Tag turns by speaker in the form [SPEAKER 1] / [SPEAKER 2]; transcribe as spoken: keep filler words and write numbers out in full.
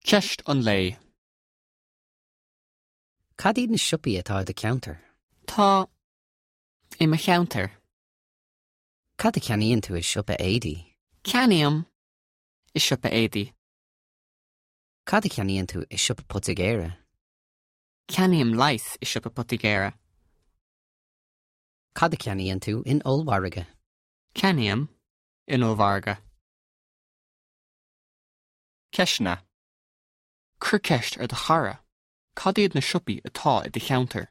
[SPEAKER 1] Ceist an lae.
[SPEAKER 2] Cad iad na siopaí atá i do cheantar?
[SPEAKER 1] Tá i mo cheantar.
[SPEAKER 2] Cad a cheannaíonn tú i siopa éadaí?
[SPEAKER 1] Ceannaím i siopa éadaí.
[SPEAKER 2] Cad a cheannaíonn tú i siopa poitigéara?
[SPEAKER 1] Ceannaím leigheas i siopa poitigéara.
[SPEAKER 2] Cad a cheannaíonn tú in ollmhargadh?
[SPEAKER 1] Ceannaím in ollmhargadh. Ceisteanna. Cuir ceist ar do chara. Cad iad na siopaí atá i do cheantar?